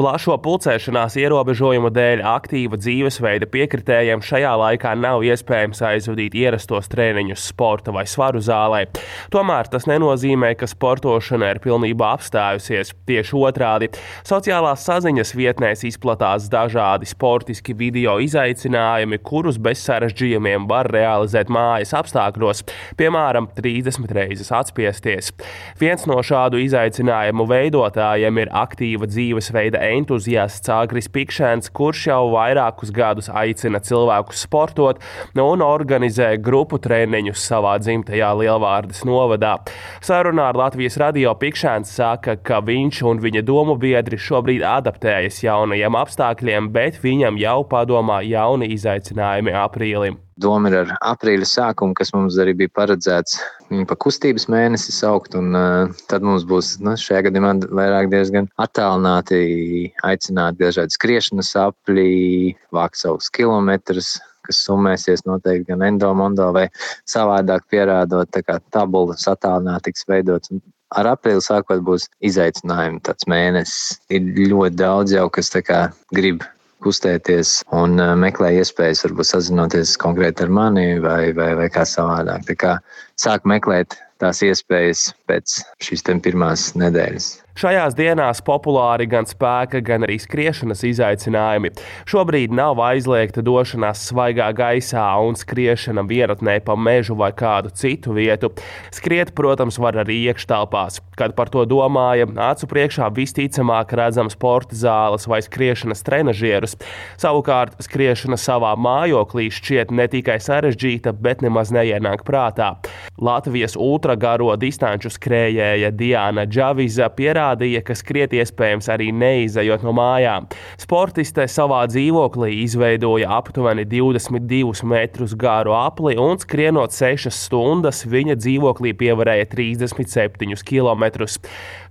Plašo pulcēšanās ierobežojumu dēļ aktīva dzīvesveida piekritējiem šajā laikā nav iespējams aizvadīt ierastos treniņus sporta vai svaru zālē. Tomēr tas nenozīmē, ka sportošana ir pilnībā apstājusies. Tieši otrādi, sociālās saziņas vietnēs izplatās dažādi sportiski video izaicinājumi, kurus bez sarežģījumiem var realizēt mājas apstākļos, piemēram, 30 reizes atspiesties. Viens no šādu izaicinājumu veidotājiem ir aktīva dzīvesveida entuziasts Agris Pikšēns, kurš jau vairākus gadus aicina cilvēkus sportot un organizē grupu treniņus savā dzimtajā Lielvārdes novadā. Sarunā ar Latvijas radio Pikšēns saka, ka viņš un viņa domu biedri šobrīd adaptējas jaunajiem apstākļiem, bet viņam jau padomā jauni izaicinājumi aprīlim. Doma ir ar aprīļa sākumu, kas mums arī bija paredzēts viņu pa kustības mēnesi saukt, un tad mums būs šajā gadījumā vairāk diezgan attālināti aicināt dažādi skriešanas apļi, vākt savus kilometrus, kas summēsies noteikti gan endo-mondo vai savādāk pierādot, tā kā tabulas attālināti tiks veidots. Ar aprīli sākot būs izaicinājumi tāds mēnesis. Ir ļoti daudz jau, kas tā kā grib kustēties un meklē iespējas, varbūt sazinoties konkrēti ar mani vai kā savādāk. Tā kā sāk meklēt tās iespējas pēc šīs pirmās nedēļas. Šajās dienās populāri gan spēka, gan arī skriešanas izaicinājumi. Šobrīd nav aizliegta došanās svaigā gaisā un skriešana vienatnē pa mežu vai kādu citu vietu. Skriet, protams, var arī iekštelpās. Kad par to domāja, acu priekšā visticamāk redzam sporta zāles vai skriešanas trenažierus. Savukārt, skriešana savā mājoklī šķiet ne tikai sarežģīta, bet nemaz neienāk prātā. Latvijas ultragaro distanču skrējēja Diana Džaviza pierādīja, ka skriet iespējams arī neizejot no mājām. Sportiste savā dzīvoklī izveidoja aptuveni 22 metrus garu apli un skrienot 6 stundas viņa dzīvoklī pievarēja 37 kilometrus.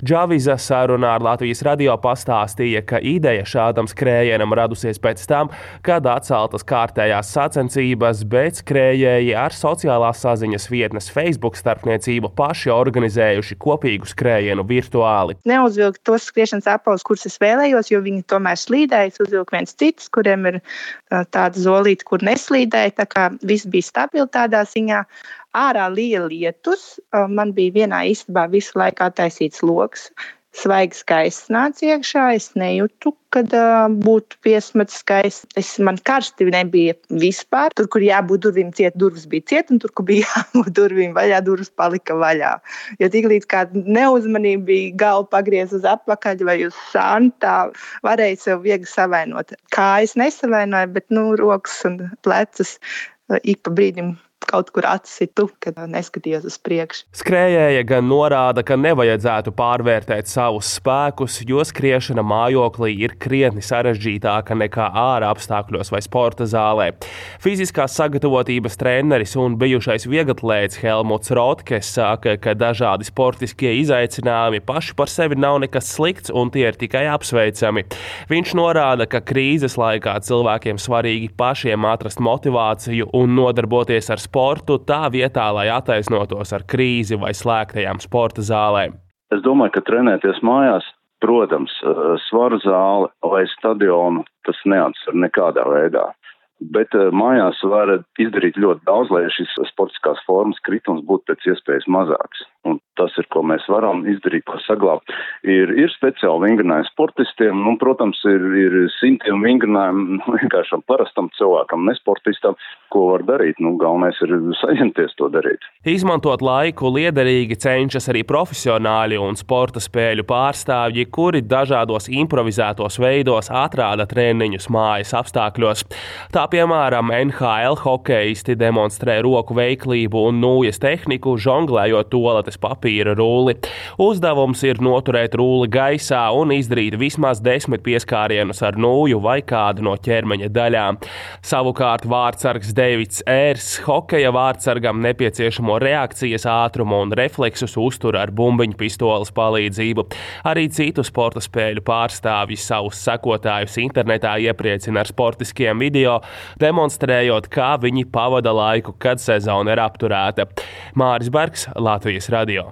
Džaviza sarunā ar Latvijas radio pastāstīja, ka ideja šādam skrējienam radusies pēc tam, kad atceltas kārtējās sacensības, bet skrējēji ar sociālās saziņas vietnes Facebook starpniecību paši organizējuši kopīgu skrējienu virtuāli. Neuzvilku tos skriešanas apavus, kurus es vēlējos, jo viņi tomēr slīdēja. Es uzvilku viens cits, kuriem ir tāda zolīte, kur neslīdēja, tā kā viss bija stabili tādā ziņā. Ārā lija lietus, man bija vienā istabā visu laiku attaisīts loks. Svaigs gaiss nāca iekšā, es nejūtu, kad būtu piesmats skaists. Man karsti nebija vispār. Tur, kur jābūt durvīm ciet, durvis bija ciet, un tur, kur bija jābūt durvīm vaļā, durvis palika vaļā. Jo tiklīdz kāda neuzmanība bija galva pagriez uz atpakaļ vai uz šānu, tā varēja sev viegli savainot. Kājas nesavainoja, bet rokas un plecus ik pa brīdim kaut kur atsitu, kad neskatījos uz priekšu. Skrējēja gan norāda, ka nevajadzētu pārvērtēt savus spēkus, jo skriešana mājoklī ir krietni sarežģītāka nekā ārā apstākļos vai sporta zālē. Fiziskās sagatavotības treneris un bijušais vieglatlēts Helmuts Rotkes saka, ka dažādi sportiskie izaicinājumi paši par sevi nav nekas slikts un tie ir tikai apsveicami. Viņš norāda, ka krīzes laikā cilvēkiem svarīgi pašiem atrast motivāciju un nodarboties ar sportu tā vietā, lai attaisnotos ar krīzi vai slēgtajām sporta zālēm. Es domāju, ka trenēties mājās, protams, svaru zāli vai stadionu tas neatsver nekādā veidā. Bet mājās var izdarīt ļoti daudz, lai šis sportiskās formas kritums būtu pēc iespējas mazāks. Un tas ir, ko mēs varam izdarīt, ko saglābt. Ir speciāli vingrinājumi sportistiem, un, protams, ir simtiem vingrinājumu vienkāršam parastam cilvēkam, nesportistam, ko var darīt. Galvenais ir saņemties to darīt. Izmantot laiku liederīgi cenšas arī profesionāļi un sporta spēļu pārstāvji, kuri dažādos improvizētos veidos atrāda treniņus mājas apstākļos. Tā, piemēram, NHL hokeisti demonstrē roku veiklību un nūjas tehniku, žonglējot toaletes papīra rulli. Uzdevums ir noturēt rulli gaisā un izdarīt vismaz 10 pieskārienus ar nūju vai kādu no ķermeņa daļām. Savukārt vārtsargs Deivids Ērs hokeja vārtsargam nepieciešamo reakcijas ātrumu un refleksus uztur ar bumbiņu pistoles palīdzību. Arī citu sporta spēļu pārstāvji savus sekotājus internetā iepriecina ar sportiskiem video, demonstrējot, kā viņi pavada laiku, kad sezona ir apturēta. Māris Bergs, Latvijas radio.